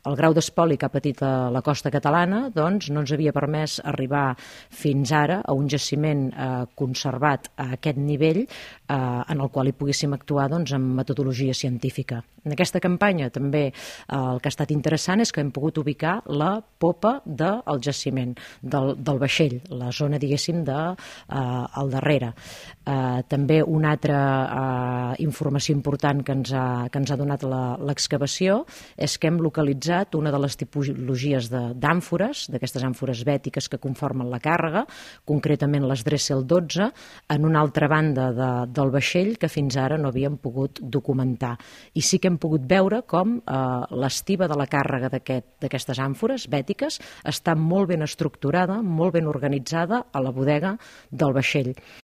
El grau d'espoli que ha patit la costa catalana doncs, no ens havia permès arribar fins ara a un jaciment conservat a aquest nivell en el qual hi poguéssim actuar doncs, amb metodologia científica. En aquesta campanya també el que ha estat interessant és que hem pogut ubicar la popa del jaciment, del vaixell, la zona, diguéssim, al darrere. També una altra informació important que ens ha donat l'excavació és que hem localitzat una de les tipologies d'àmfores, d'aquestes àmfores bètiques que conformen la càrrega, concretament les Dressel 12, en una altra banda del vaixell que fins ara no havíem pogut documentar. I sí que hem pogut veure com l'estiba de la càrrega d'aquestes àmfores bètiques està molt ben estructurada, molt ben organitzada a la bodega del vaixell.